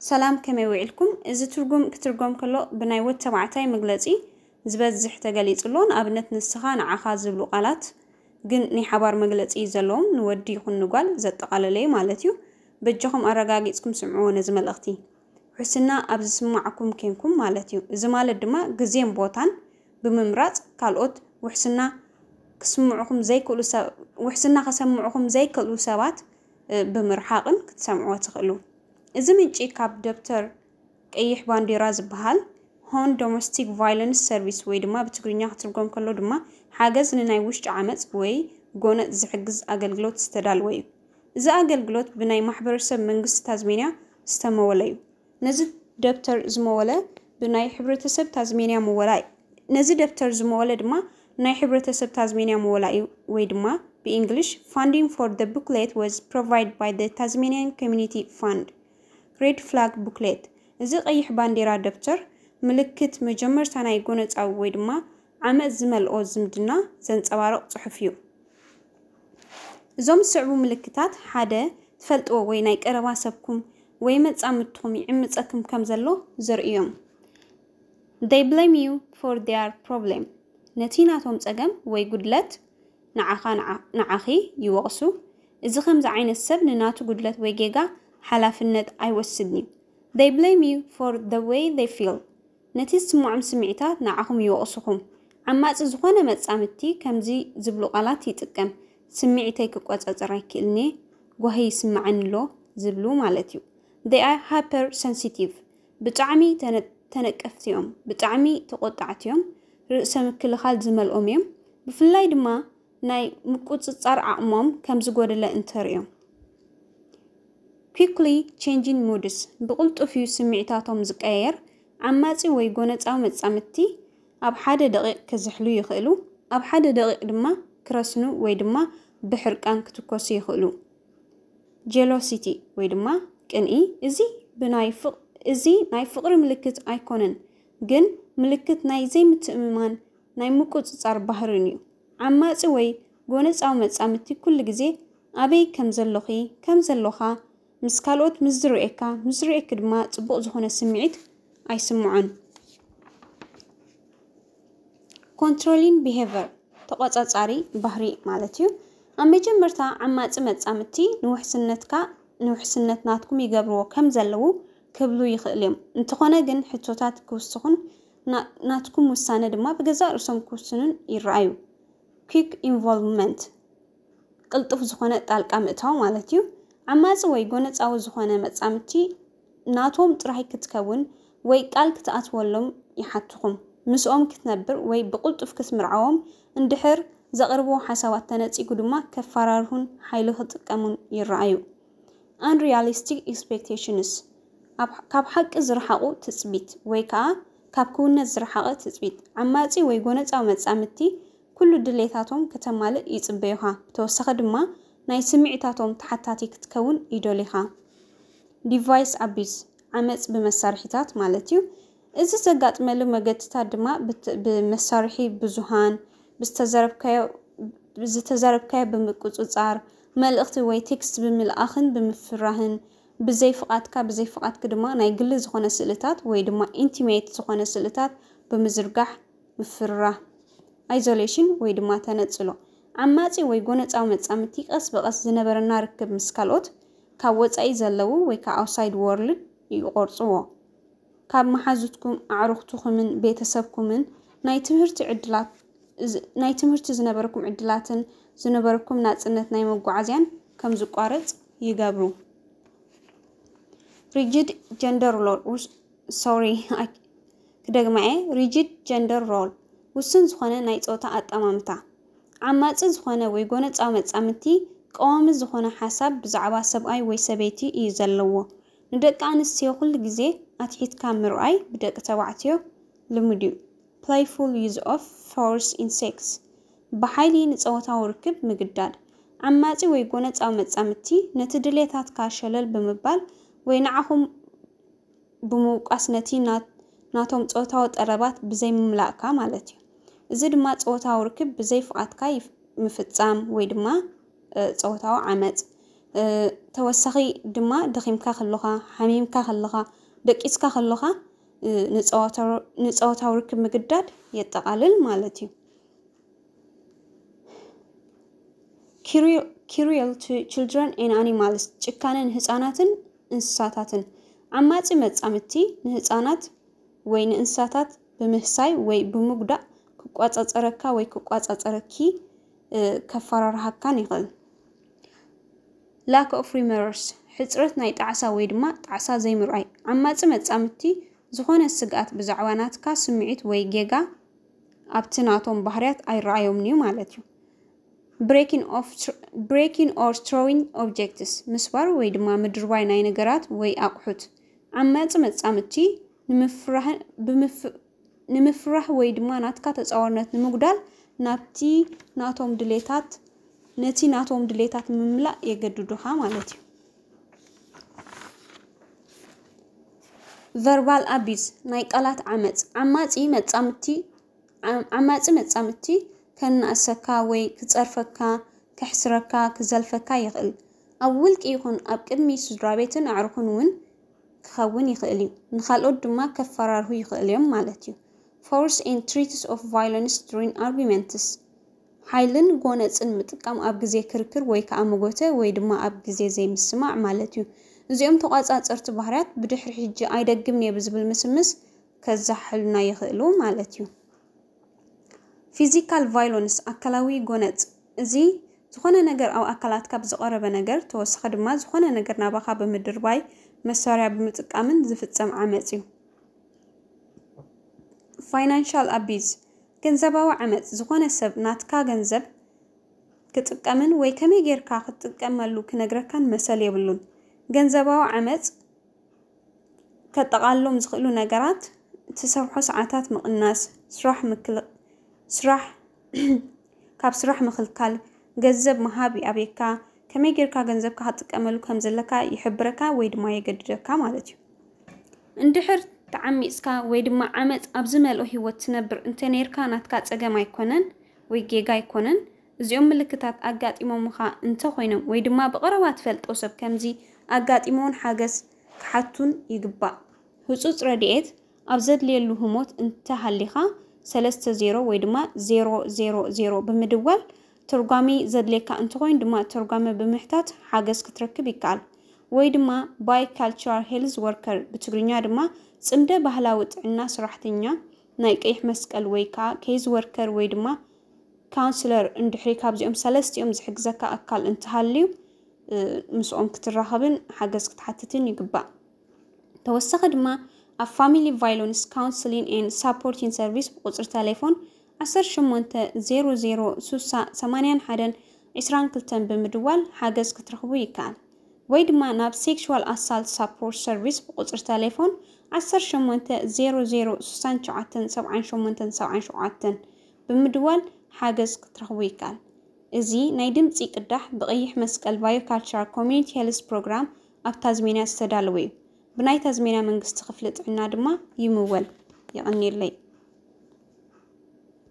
ሰላም፣ ከመይ ውዒልኩም? እዚ ትርጉም ክትርጎም ከሎ ብናይ ወድ ተባዕታይ መግለጺ ዝበዝሕ ተገሊጹ ኣሎ። ንኣብነት፣ ንስኻ፣ ንዓኻ ዝብሉ ቃላት ግን ናይ ሓባር መግለጺ ዘለዎም፣ ንወዲ ይኹን ንጓል ዘጠቓለለ እዩ ማለት እዩ። በጃኹም ኣረጋጊጽኩም ስምዕዎ ነዚ መልእኽቲ። ውሕስና ኣብ ዝስማዓኩም ኬንኩም ማለት እዩ። እዚ ማለት ድማ ግዜን ቦታን ብምምራጽ ካልኦት ውሕስና ክስምዑኹም ዘይክእሉ ሰብ-፣ ውሕስና ከሰምዑኹም ዘይክእሉ ሰባት፣ እ፣ ብምርሓቕን ክትሰምዕዎ ትኽእሉ። እዚ ምንጪ ካብ ደብተር ቀይሕ ባንዴራ ዝበሃል ሆን ዶሜስቲክ ቫይለንስ ሰርቪስ ወይ ድማ ብትግርኛ ክትርጎም ከሎ ድማ ሓገዝ ንናይ ውሽጢ ዓመጽ ወይ ጎነጽ ዝሕግዝ ኣገልግሎት ዝተዳለወ እዩ። እዚ ኣገልግሎት ብናይ ማሕበረሰብ መንግስቲ ታዝሜንያ ዝተመወለ እዩ። ነዚ ደብተር ዝመወለ ብናይ ሕብረተሰብ ታዝሜንያ ምወላ እዩ። ነዚ ደብተር ዝመወለ ድማ ናይ ሕብረተሰብ ታዝሜንያ ምወላ እዩ፣ ወይ ድማ ብእንግሊሽ፣ Funding for the booklet was provided by the Tasmanian Community Fund። ሬድ ፍላግ ቡክሌት። እዚ ቀይሕ ባንዴራ ደብተር ምልክት መጀመርታ ናይ ጎነጻዊ ወይ ድማ ዓመጽ ዝመልኦ ዝምድና ዘንጸባርቕ ጽሑፍ እዩ። እዞም ዝስዕቡ ምልክታት ሓደ ትፈልጥዎ ወይ ናይ ቀረባ ሰብኩም ወይ መጻምድትኹም ይዕምጸኩም ከም ዘሎ ዘርእዮም። They blame you for their problem። ነቲ ናቶም ጸገም ወይ ጉድለት ንዓኻ፣ ንዓ-፣ ንዓኺ ይወቕሱ። እዚ ከምዚ ዓይነት ሰብ ንናቱ ጉድለት ወይ ጌጋ ሓላፍነት ኣይወስድን እዩ። They blame you for the way they feel። ነቲ ዝስምዖም ስምዒታት ንዓኹም ይወቕሱኹም። ዓማጺ ዝኾነ መጻምድቲ ከምዚ ዝብሉ ቃላት ይጥቀም፣ "ስምዒተይ ክቆጻጸር ኣይክእልን እየ፣ ጓሂ ይስምዓኒ ኣሎ" ዝብሉ ማለት እዩ። They are hypersensitive። ብጣዕሚ ተነ-፣ ተነቀፍቲ እዮም፣ ብጣዕሚ ተቆጣዕቲ እዮም። ርእሰ ምክልኻል ዝመልኦም እዮም። ብፍላይ ድማ ናይ ምቁጽጻር ዓቕሞም ከም ዝጎደለ እንተርእዮም። Quickly changing moods፣ ብቕልጡፍ እዩ ስምዒታቶም ዝቀያየር። ዓማጺ ወይ ጎነጻዊ መጻምድቲ ኣብ ሓደ ደቂቕ ክዝሕሉ ይኽእሉ፣ ኣብ ሓደ ደቂቕ ድማ ክረስኑ ወይ ድማ ብሕርቃን ክትኮሱ ይኽእሉ። ጀሎሲቲ ወይ ድማ ቅንኢ፣ እዚ ብናይ ፍቕ-፣ እዚ ናይ ፍቕሪ ምልክት ኣይኮነን፣ ግን ምልክት ናይ ዘይምትእምማን ናይ ምቁጽጻር ባህርን እዩ። ዓማጺ ወይ ጎነጻዊ መጻምድቲ ኩሉ ግዜ ኣበይ ከም ዘሎኺ፣ ከም ዘሎኻ፣ ምስ ካልኦት ምስ ዝርእየካ፣ ምስ ዝርእየኪ ድማ ጽቡቕ ዝኾነ ስምዒት ኣይስምዖን። ኮንትሮሊንግ ቢሄቨር፣ ተቆጻጻሪ ባህሪ ማለት እዩ። ኣብ መጀመርታ ዓማጺ መጻምድቲ ንውሕስነትካ፣ ንውሕስነት ናትኩም ይገብርዎ ከም ዘለዉ ክብሉ ይኽእሉ እዮም። እንተኾነ ግን ሕቶታት ክውስኹን ና-፣ ናትኩም ውሳነ ድማ ብገዛእ ርእሶም ክውስኑን ይረኣዩ። quick involvement፣ ቅልጡፍ ዝኾነ ጣልቃ ምእታው ማለት እዩ። ዓማጺ ወይ ጎነጻዊ ዝኾነ መጻምድቲ ናቶም ጥራይ ክትከውን ወይ ቃል ክትኣትወሎም ይሓትኹም። ምስኦም ክትነብር ወይ ብቕልጡፍ ክትምርዓዎም እንድሕር ዘቕርብዎ ሓሳባት ተነጺጉ ድማ ከፈራርሁን ሓይሊ ክጥቀሙን ይረኣዩ። Unrealistic expectations፣ ኣብ፣ ካብ ሓቂ ዝረሓቑ ትጽቢት ወይ ከኣ ካብ ክውነት ዝረሓቐ ትጽቢት። ዓማጺ ወይ ጎነጻዊ መጻምድቲ ኩሉ ድሌታቶም ከተማልእ ይጽበዩኻ። ብተወሳኺ ድማ ናይ ስምዒታቶም ተሓታቲ ክትከውን ይደልዩኻ። ዲቫይስ ኣቢዝ፣ ዓመጽ ብመሳርሒታት ማለት እዩ። እዚ ዘጋጥመሉ መገድታት ድማ ብት-፣ ብመሳርሒ ብዙሃን፣ ብዝተዘረብካዮ፣ ዝተዘረብካዮ ብምቁጽጻር፣ መልእኽቲ ወይ ቴክስት ብምልኣኽን ብምፍራህን፣ ብዘይ ፍቓድካ፣ ብዘይ ፍቓድኪ ድማ ናይ ግሊ ዝኾነ ስእልታት ወይ ድማ ኢንቲሜት ዝኾነ ስእልታት ብምዝርጋሕ ምፍርራህ። ኣይዞሌሽን ወይ ድማ ተነጽሎ። ዓማጺ ወይ ጎነጻዊ መጻምድቲ ቀስ ብቐስ ዝነበረና ርክብ ምስ ካልኦት፣ ካብ ወጻኢ ዘለዉ ወይ ከዓ ኣውትሳይድ ወርልድ ይቖርጽዎ። ካብ መሓዙትኩም፣ ኣዕሩኽትኹምን ቤተሰብኩምን ናይ ትምህርቲ ዕድላት፣ ዝ-፣ ናይ ትምህርቲ ዝነበረኩም ዕድላትን ዝነበረኩም ናጽነት ናይ መጓዓዝያን ከም ዝቋረጽ ይገብሩ። ሪጂድ ጀንደር ሮል፣ ውስ-፣ ሶሪ፣ ኣይ-፣ ክደግማ እየ። ሪጂድ ጀንደር ሮል፣ ውሱን ዝኾነ ናይ ጾታ ኣጠማምታ። ዓማጺ ዝኾነ ወይ ጎነጻዊ መጻምድቲ ቀዋሚ ዝኾነ ሓሳብ ብዛዕባ ሰብኣይ ወይ ሰበይቲ እዩ ዘለዎ። ንደቂ ኣንስትዮ ኩሉ ግዜ ኣትሒትካ ምርኣይ ብደቂ ተባዕትዮ ልሙድ እዩ። Playful use of force in sex፣ ብሓይሊ ንጸወታዊ ርክብ ምግዳድ። ዓማጺ ወይ ጎነጻዊ መጻምድቲ ነቲ ድሌታትካ ሸለል ብምባል ወይ ንዓኹም ብምውቃስ ነቲ ናት-፣ ናቶም ጾታዊ ጠለባት ብዘይምምላእካ ማለት እዩ። እዚ ድማ ጾታዊ ርክብ ብዘይ ፍቓድካ ይፍ-፣ ምፍጻም ወይ ድማ፣ እ፣ ጾታዊ ዓመጽ። ተወሳኺ ድማ ደኺምካ ከለኻ፣ ሓሚምካ ከለኻ፣ ደቂስካ ከለኻ ንፀዋታዊ ርክብ ምግዳድ የጠቓልል ማለት እዩ። Cruel to children and animals፣ ጭካነ ንህፃናትን እንስሳታትን። ዓማፂ መፃምድቲ ንህፃናት ወይ ንእንስሳታት ብምህሳይ ወይ ብምጉዳእ ክቋፃፀረካ ወይ ክቋፃፀረኪ ከፈራርሃካን ይኽእል። Lack of remorse፣ ሕፅረት ናይ ጣዕሳ ወይ ድማ ጣዕሳ ዘይምርኣይ። ዓማፂ መፃምድቲ ዝኾነ ስግኣት ብዛዕባ ናትካ ስምዒት ወይ ጌጋ ኣብቲ ናቶም ባህርያት ኣይረኣዮምን እዩ ማለት እዩ። Breaking or throwing objects፣ ምስባር ወይ ድማ ምድርባይ ናይ ነገራት ወይ ኣቑሑት። ዓማፂ መፃምድቲ ንምፍራህ ወይ ድማ ናትካ ተፃዋርነት ንምጉዳል ናብቲ ናቶም ድሌታት ነቲ ናቶም ድሌታት ንምምላእ የገድዱኻ ማለት እዩ። Verbal abuse፣ ናይ ቃላት ዓመፅ። ዓማፂ መፃምድቲ ዓማፂ መፃምድቲ ከናእሰካ ወይ ክፀርፈካ፣ ከሕስረካ፣ ክዘልፈካ ይኽእል። ኣብ ውልቂ ይኹን ኣብ ቅድሚ ስድራ ቤትን ኣዕሩኽን እውን ክኸውን ይኽእል እዩ። ንኻልኦት ድማ ከፈራርሁ ይኽእል እዮም ማለት እዩ። Force and threats of violence during arguments፣ ሓይልን ጎነፅን ምጥቃም ኣብ ግዜ ክርክር ወይ ከዓ መጎተ ወይ ድማ ኣብ ግዜ ዘይምስማዕ ማለት እዩ። እዚኦም ተቋፃፀርቲ ባህርያት ብድሕሪ ሕጂ ኣይደግምን እየ ብዝብል ምስምስ ከዛሕሉና ይኽእሉ ማለት እዩ። Physical violence፣ ኣካላዊ ጎነፅ። እዚ ዝኾነ ነገር ኣብ ኣካላትካ ብዝቐረበ ነገር ተወሳኺ ድማ ዝኾነ ነገር ናባኻ ብምድርባይ መሳርያ ብምጥቃምን ዝፍፀም ዓመፅ እዩ። Financial abuse፣ ገንዘባዊ ዓመፅ። ዝኾነ ሰብ ናትካ ገንዘብ ክጥቀምን ወይ ከመይ ጌርካ ክትጥቀመሉ ክነግረካን መሰል የብሉን። ገንዘባዊ ዓመፅ ከጠቓልሎም ዝኽእሉ ነገራት ትሰርሖ ሰዓታት ምቕናስ፣ ስራሕ ምክል ስራሕ ካብ ስራሕ ምኽልካል፣ ገንዘብ ምሃብ ይኣብየካ፣ ከመይ ጌርካ ገንዘብካ ክትጥቀመሉ ከም ዘለካ ይሕብረካ ወይ ድማ የገድደካ ማለት እዩ። እንድሕር ተዓሚፅካ ወይ ድማ ዓመፅ ኣብ ዝመልኦ ህይወት ትነብር እንተነይርካ ናትካ ፀገም ኣይኮነን ወይ ጌጋ ኣይኮነን። እዚኦም ምልክታት ኣጋጢሞምኻ እንተኾይኖም ወይ ድማ ብቐረባ ትፈልጦ ሰብ ከምዚ ኣጋጢሞን ሓገዝ ክሓቱን ይግባእ። ህፁፅ ረድኤት ኣብ ዘድልየሉ ህሞት እንተሃሊኻ ሰለስተ ዜሮ ወይ ድማ ዜሮ ዜሮ ዜሮ ብምድዋል ተርጓሚ ዘድልየካ እንተኾይኑ ድማ ተርጓሚ ብምሕታት ሓገዝ ክትረክብ ይከኣል። ወይ ድማ bicultural health worker ብትግርኛ ድማ ፅምደ ባህላዊ ጥዕና ሰራሕተኛ ናይ ቀይሕ መስቀል ወይ ከዓ case worker ወይ ድማ counselor እንድሕሪ ካብዚኦም ሰለስቲኦም ዝሕግዘካ ኣካል እንተሃልዩ ምስኦም ክትራኸብን ሓገዝ ክትሓትትን ይግባእ። ተወሳኺ ድማ ኣብ family violence counseling and supporting service ብቁፅሪ ተሌፎን ዓሰርተ ሸሞንተ ዜሮ ዜሮ ስሳ ሰማንያን ሓደን ዕስራን ክልተን ብምድዋል ሓገዝ ክትረኽቡ ይከኣል። ወይ ድማ ናብ sexual assault support service ብቁፅሪ ተሌፎን ዓሰርተ ሸሞንተ ዜሮ ዜሮ ስሳን ትሽዓተን ሰብዓን ሸሞንተን ሰብዓን ሸውዓተን ብምድዋል ሓገዝ ክትረኽቡ ይከኣል። እዚ ናይ ድምፂ ቅዳሕ ብቐይሕ መስቀል Biocultural Community Health Program ኣብ ታዝሜንያ ዝተዳለወ እዩ። ብናይ ታዝሜንያ መንግስቲ ክፍሊ ጥዕና ድማ ይምወል። የቐንየለይ።